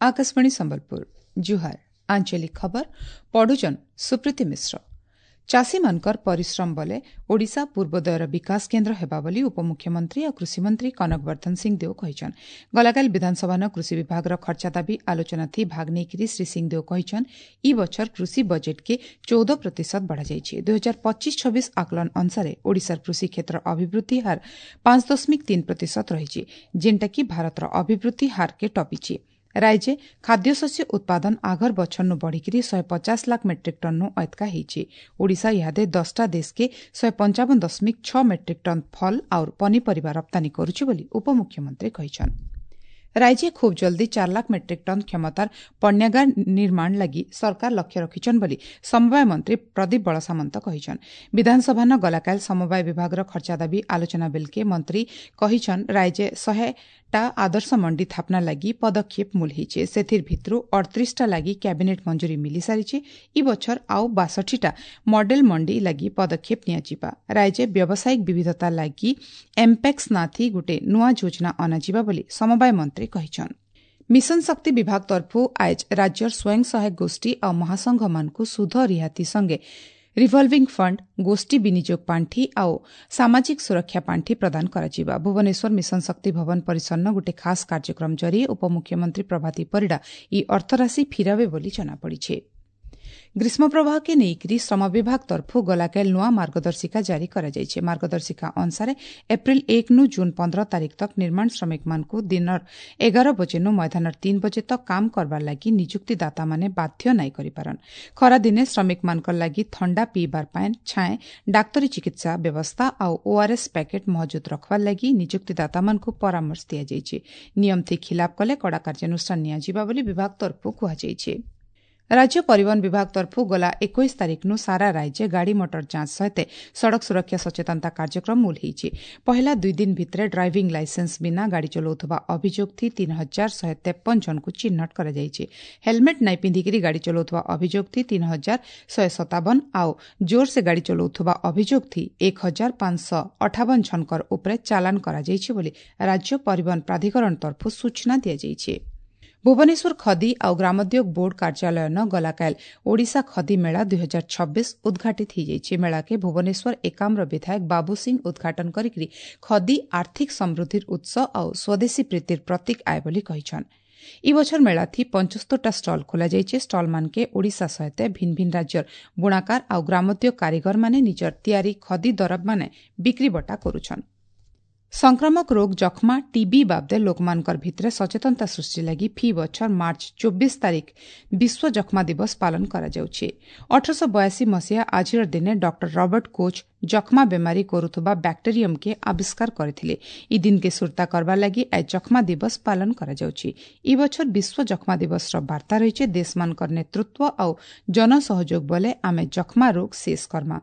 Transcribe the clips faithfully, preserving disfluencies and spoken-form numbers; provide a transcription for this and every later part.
ଆକାଶବାଣୀ ସମ୍ବଲପୁର ଜୁହାର ଆଞ୍ଚଳିକ ଖବର ପଢୁଛନ୍ ସୁପ୍ରୀତି ମିଶ୍ର ଚାଷୀମାନଙ୍କର ପରିଶ୍ରମ ବଲେ ଓଡ଼ିଶା ପୂର୍ବୋଦୟର ବିକାଶ କେନ୍ଦ୍ର ହେବା ବୋଲି ଉପମୁଖ୍ୟମନ୍ତ୍ରୀ ଓ କୃଷିମନ୍ତ୍ରୀ କନକ ବର୍ଦ୍ଧନ ସିଂଦେଓ କହିଛନ୍ ଗଲାକାଲି ବିଧାନସଭାନ କୃଷି ବିଭାଗର ଖର୍ଚ୍ଚା ଦାବି ଆଲୋଚନାଥି ଭାଗ ନେଇକରି ଶ୍ରୀ ସିଂଦେଓ କହିଛନ୍ ଇ ବଛର କୃଷି ବଜେଟ୍କେ ଚଉଦ ପ୍ରତିଶତ ବଢ଼ାଯାଇଛି ଦୁଇ ହଜାର ପଚିଶ ଛବିଶ ଆକଳନ ଅନୁସାରେ ଓଡ଼ିଶାର କୃଷି କ୍ଷେତ୍ର ଅଭିବୃଦ୍ଧି ହାର ପାଞ୍ଚ ଦଶମିକ ତିନି ପ୍ରତିଶତ ରହିଛି ଯେନ୍ଟାକି ଭାରତର ଅଭିବୃଦ୍ଧି ହାରକେ ଟପିଛି ରାଜ୍ୟେ ଖାଦ୍ୟଶସ୍ୟ ଉତ୍ପାଦନ ଆଘର ବଛରନୁ ବଢ଼ିକିରି ଶହେ ପଚାଶ ଲାଖ ମେଟ୍ରିକ୍ ଟନ୍ନୁ ଅଏତକା ହେଇଛି ଓଡ଼ିଶା ଇହାଦେ ଦଶଟା ଦେଶକେ ଶହେ ପଞ୍ଚାବନ ଦଶମିକ ଛଅ ମେଟ୍ରିକ୍ ଟନ୍ ଫଲ୍ ଆଉର ପନିପରିବା ରପ୍ତାନୀ କରୁଛି ବୋଲି ଉପମୁଖ୍ୟମନ୍ତ୍ରୀ କହିଛନ୍ ରାଜ୍ୟେ ଖୁବ୍ ଜଲ୍ଦି ଚାର ଲାଖ ମେଟ୍ରିକ୍ ଟନ୍ କ୍ଷମତାର ପଣ୍ୟାଗାର ନିର୍ମାଣ ଲାଗି ସରକାର ଲକ୍ଷ୍ୟ ରଖିଛନ୍ ବୋଲି ସମବାୟ ମନ୍ତ୍ରୀ ପ୍ରଦୀପ ବଳସାମନ୍ତ କହିଛନ୍ ବିଧାନସଭାନ ଗଲାକାଲି ସମବାୟ ବିଭାଗର ଖର୍ଚ୍ଚା ଦାବି ଆଲୋଚନା ବେଲକେ ମନ୍ତ୍ରୀ କହିଛନ୍ ରାଜ୍ୟେ ଶହେଟା ଆଦର୍ଶ ମଣ୍ଡି ଥାପନା ଲାଗି ପଦକ୍ଷେପ ମୂଲ ହେଇଛେ ସେଥିର୍ ଭିତରୁ ଅଠତିରିଶଟା ଲାଗି କ୍ୟାବିନେଟ୍ ମଞ୍ଜୁରୀ ମିଲିସାରିଛେ ଇ ବଛର ଆଉ ବାଷଠିଟା ମଡେଲ ମଣ୍ଡି ଲାଗି ପଦକ୍ଷେପ ନିଆଯିବା ରାଜ୍ୟେ ବ୍ୟବସାୟିକ ବିବିଧତା ଲାଗି ଏମ୍ପେକ୍ସ ନାଥି ଗୋଟେ ନୂଆ ଯୋଜନା ଅଣାଯିବା ବୋଲି ସମବାୟ ମନ୍ତ୍ରୀ କହିଛନ୍ ମିଶନ ଶକ୍ତି ବିଭାଗ ତରଫୁ ଆଏଜ୍ ରାଜ୍ୟର ସ୍ୱୟଂ ସହାୟକ ଗୋଷ୍ଠୀ ଆଉ ମହାସଂଘମାନଙ୍କୁ ସୁଧ ରିହାତି ସଙ୍ଗେ ରିଭଲଭିଂ ଫଣ୍ଡ ଗୋଷ୍ଠୀ ବିନିଯୋଗ ପାଣ୍ଠି ଆଉ ସାମାଜିକ ସୁରକ୍ଷା ପାଣ୍ଠି ପ୍ରଦାନ କରାଯିବା ଭୁବନେଶ୍ୱର ମିଶନ ଶକ୍ତି ଭବନ ପରିସରନ ଗୋଟେ ଖାସ୍ କାର୍ଯ୍ୟକ୍ରମ ଜରିଏ ଉପମୁଖ୍ୟମନ୍ତ୍ରୀ ପ୍ରଭାତୀ ପରିଡ଼ା ଇ ଅର୍ଥରାଶି ଫିରାବେ ବୋଲି ଜଣାପଡ଼ିଛି ଗ୍ରୀଷ୍ମ ପ୍ରବାହକେ ନେଇକରି ଶ୍ରମ ବିଭାଗ ତରଫୁ ଗଲାକାଲି ନୂଆ ମାର୍ଗଦର୍ଶିକା ଜାରି କରାଯାଇଛି ମାର୍ଗଦର୍ଶିକା ଅନୁସାରେ ଏପ୍ରିଲ ଏକନୁ ଜୁନ୍ ପନ୍ଦର ତାରିଖ ତକ୍ ନିର୍ମାଣ ଶ୍ରମିକମାନଙ୍କୁ ଦିନର ଏଗାର ବଜେନୁ ମଧ୍ୟାହ୍ନର ତିନି ବଜେ ତକ୍ କାମ କରବାର ଲାଗି ନିଯୁକ୍ତିଦାତାମାନେ ବାଧ୍ୟ ନାଇଁ କରିପାରନ୍ ଖରାଦିନେ ଶ୍ରମିକମାନଙ୍କର ଲାଗି ଥଣ୍ଡା ପିଇବାର ପାଏନ୍ ଛାଏଁ ଡାକ୍ତରୀ ଚିକିତ୍ସା ବ୍ୟବସ୍ଥା ଆଉ ଓଆରଏସ୍ ପ୍ୟାକେଟ୍ ମହଜୁଦ ରଖବାର ଲାଗି ନିଯୁକ୍ତିଦାତାମାନଙ୍କୁ ପରାମର୍ଶ ଦିଆଯାଇଛି ନିୟମ ଥି ଖିଲାପ କଲେ କଡ଼ା କାର୍ଯ୍ୟାନୁଷ୍ଠାନ ନିଆଯିବା ବୋଲି ବିଭାଗ ତରଫୁ କୁହାଯାଇଛି ରାଜ୍ୟ ପରିବହନ ବିଭାଗ ତରଫୁ ଗଲା ଏକୋଇଶ ତାରିଖନୁ ସାରା ରାଜ୍ୟ ଗାଡ଼ି ମଟର ଯାଞ୍ଚ ସହିତ ସଡ଼କ ସୁରକ୍ଷା ସଚେତନତା କାର୍ଯ୍ୟକ୍ରମ ମୂଲ ହେଇଛି ପହିଲା ଦୁଇ ଦିନ ଭିତରେ ଡ୍ରାଇଭିଂ ଲାଇସେନ୍ସ ବିନା ଗାଡ଼ି ଚଲାଉଥିବା ଅଭିଯୋଗ ଥି ତିନି ହଜାର ଶହେ ତେପନ ଜଣଙ୍କୁ ଚିହ୍ନଟ କରାଯାଇଛି ହେଲମେଟ୍ ନାଇଁ ପିନ୍ଧିକିରି ଗାଡ଼ି ଚଲାଉଥିବା ଅଭିଯୋଗ ଥି ତିନି ହଜାର ଶହେ ସତାବନ ଆଉ ଜୋରସେ ଗାଡ଼ି ଚଲାଉଥିବା ଅଭିଯୋଗ ଥି ଏକ ହଜାର ପାଞ୍ଚଶହ ଅଠାବନ ଜଣଙ୍କର ଉପରେ ଚାଲାଣ କରାଯାଇଛି ବୋଲି ରାଜ୍ୟ ପରିବହନ ପ୍ରାଧିକରଣ ତରଫୁ ସୂଚନା ଦିଆଯାଇଛି ଭୁବନେଶ୍ୱର ଖଦି ଆଉ ଗ୍ରାମୋଦ୍ୟୋଗ ବୋର୍ଡ କାର୍ଯ୍ୟାଳୟନ ଗଲାକାଲି ଓଡ଼ିଶା ଖଦି ମେଳା ଦୁଇ ହଜାର ଛବିଶ ଉଦ୍ଘାଟିତ ହୋଇଯାଇଛି ମେଳାକେ ଭୁବନେଶ୍ୱର ଏକାମ୍ର ବିଧାୟକ ବାବୁ ସିଂ ଉଦ୍ଘାଟନ କରିକି ଖଦି ଆର୍ଥିକ ସମୃଦ୍ଧିର ଉତ୍ସ ଆଉ ସ୍ୱଦେଶୀ ପ୍ରୀତିର ପ୍ରତୀକ ଆଏ ବୋଲି କହିଛନ୍ ଇ ବଛର ମେଳାଥି ପଞ୍ଚସ୍ତରଟା ଷ୍ଟଲ୍ ଖୋଲାଯାଇଛି ଷ୍ଟଲ୍ମାନକେ ଓଡ଼ିଶା ସହିତ ଭିନ୍ନ ଭିନ୍ନ ରାଜ୍ୟର ବୁଣାକାର ଆଉ ଗ୍ରାମୋଦ୍ୟୋଗ କାରିଗରମାନେ ନିଜର ତିଆରି ଖଦି ଦରବମାନେ ବିକ୍ରିବଟା କରୁଛନ୍ ସଂକ୍ରାମକ ରୋଗ ଯକ୍ଷ୍ମା ଟିବି ବାବଦେ ଲୋକମାନଙ୍କର ଭିତରେ ସଚେତନତା ସୃଷ୍ଟି ଲାଗି ଫି ବଛର ମାର୍ଚ୍ଚ ଚବିଶ ତାରିଖ ବିଶ୍ୱ ଯକ୍ଷ୍ମା ଦିବସ ପାଳନ କରାଯାଉଛି ଅଠରଶହ ବୟାଅଶୀ ମସିହା ଆଜିର ଦିନେ ଡକ୍ଟର ରବର୍ଟ କୋଚ୍ ଯକ୍ଷ୍ମା ବେମାରୀ କରୁଥିବା ବ୍ୟାକ୍ଟେରିୟମକେ ଆବିଷ୍କାର କରିଥିଲେ ଇ ଦିନକେ ସୁରତା କରବାର ଲାଗି ଆଜ ଯକ୍ଷ୍ମା ଦିବସ ପାଳନ କରାଯାଉଛି ଇ ବଛର ବିଶ୍ୱ ଯକ୍ଷ୍ମା ଦିବସର ବାର୍ତ୍ତା ରହିଛି ଦେଶମାନଙ୍କର ନେତୃତ୍ୱ ଆଉ ଜନସହଯୋଗ ବଲେ ଆମେ ଯକ୍ଷ୍ମା ରୋଗ ଶେଷ କରମା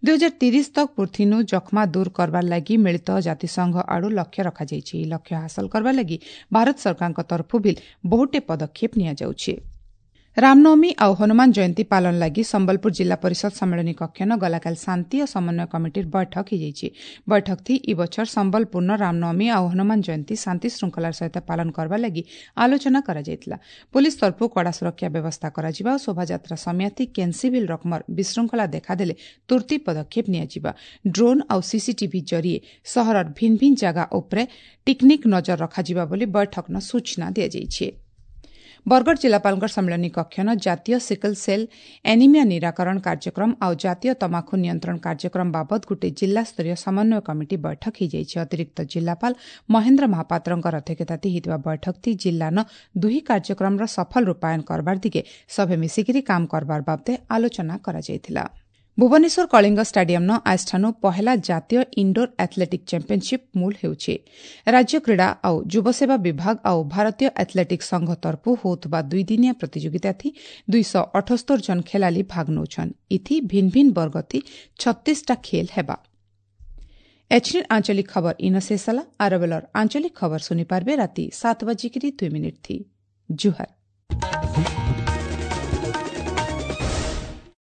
ଦୁଇ ହଜାର ତିରିଶ ତକ୍ ପୃଥିନୁ ଯକ୍ଷ୍ମା ଦୂର କରବାର ଲାଗି ମିଳିତ ଜାତିସଂଘ ଆଡ଼ୁ ଲକ୍ଷ୍ୟ ରଖାଯାଇଛି ଏହି ଲକ୍ଷ୍ୟ ହାସଲ କରବାର ଲାଗି ଭାରତ ସରକାରଙ୍କ ତରଫୁ ବି ବହୁଟେ ପଦକ୍ଷେପ ନିଆଯାଉଛି ରାମନବମୀ ଆଉ ହନୁମାନ ଜୟନ୍ତୀ ପାଳନ ଲାଗି ସମ୍ବଲପୁର ଜିଲ୍ଲା ପରିଷଦ ସମ୍ମିଳନୀ କକ୍ଷନ ଗଲାକାଲି ଶାନ୍ତି ଓ ସମନ୍ୱୟ କମିଟିର ବୈଠକ ହୋଇଯାଇଛି ବୈଠକ ଥି ଇ ବଛର ସମ୍ବଲପୁରନ ରାମନବମୀ ଆଉ ହନୁମାନ ଜୟନ୍ତୀ ଶାନ୍ତି ଶୃଙ୍ଖଳାର ସହିତ ପାଳନ କରବା ଲାଗି ଆଲୋଚନା କରାଯାଇଥିଲା ପୁଲିସ ତରଫୁ କଡ଼ା ସୁରକ୍ଷା ବ୍ୟବସ୍ଥା କରାଯିବା ଓ ଶୋଭାଯାତ୍ରା ସମୟାଥି କେନ୍ସି ଭିଲ୍ ରକମର ବିଶୃଙ୍ଖଳା ଦେଖାଦେଲେ ତୁର୍ତ୍ତି ପଦକ୍ଷେପ ନିଆଯିବା ଡ୍ରୋନ୍ ଆଉ ସିସିଟିଭି ଜରିଏ ସହରର ଭିନ୍ନ ଭିନ୍ନ ଜାଗା ଉପରେ ଟିକ୍ନିକ୍ ନଜର ରଖାଯିବା ବୋଲି ବୈଠକନ ସୂଚନା ଦିଆଯାଇଛି ବରଗଡ଼ ଜିଲ୍ଲାପାଳଙ୍କ ସମ୍ମିଳନୀ କକ୍ଷନ ଜାତୀୟ ସିକଲ ସେଲ୍ ଏନିମିଆ ନିରାକରଣ କାର୍ଯ୍ୟକ୍ରମ ଆଉ ଜାତୀୟ ତମାଖୁ ନିୟନ୍ତ୍ରଣ କାର୍ଯ୍ୟକ୍ରମ ବାବଦ ଗୋଟିଏ ଜିଲ୍ଲାସ୍ତରୀୟ ସମନ୍ୱୟ କମିଟି ବୈଠକ ହୋଇଯାଇଛି ଅତିରିକ୍ତ ଜିଲ୍ଲାପାଳ ମହେନ୍ଦ୍ର ମହାପାତ୍ରଙ୍କ ଅଧ୍ୟକ୍ଷତାରେ ହୋଇଥିବା ବୈଠକଟି ଜିଲ୍ଲାନ ଦୁହି କାର୍ଯ୍ୟକ୍ରମର ସଫଳ ରୂପାୟନ କରବାର ଦିଗେ ସଭେ ମିଶିକିରି କାମ କରବାର ବାବଦେ ଆଲୋଚନା କରାଯାଇଥିଲା ଭୁବନେଶ୍ୱର କଳିଙ୍ଗ ଷ୍ଟାଡିୟମ୍ନ ଆଜଠାନୁ ପହେଲା ଜାତୀୟ ଇଣ୍ଡୋର ଆଥଲେଟିକ୍ ଚାମ୍ପିୟନସିପ୍ ମୂଲ ହେଉଛି ରାଜ୍ୟ କ୍ରୀଡ଼ା ଆଉ ଯୁବସେବା ବିଭାଗ ଆଉ ଭାରତୀୟ ଆଥଲେଟିକ୍ ସଂଘ ତରଫୁ ହେଉଥିବା ଦୁଇଦିନିଆ ପ୍ରତିଯୋଗିତାଥି ଦୁଇଶହ ଅଠସ୍ତର ଜଣ ଖେଳାଳି ଭାଗ ନେଉଛନ୍ ଇଥି ଭିନ୍ନ ଭିନ୍ନ ବର୍ଗଥି ଛତିଶଟା ଖେଲ ହେବା ଏଛିନ୍ ଆଞ୍ଚଳିକ ଖବର ଇନ ଶେଷ ହେଲା ଆରବେଲର ଆଞ୍ଚଳିକ ଖବର ଶୁଣିପାରିବେ ରାତି ସାତ ବାଜିକିରି ଦୁଇ ମିନିଟ୍ ଥି ଜୁହାର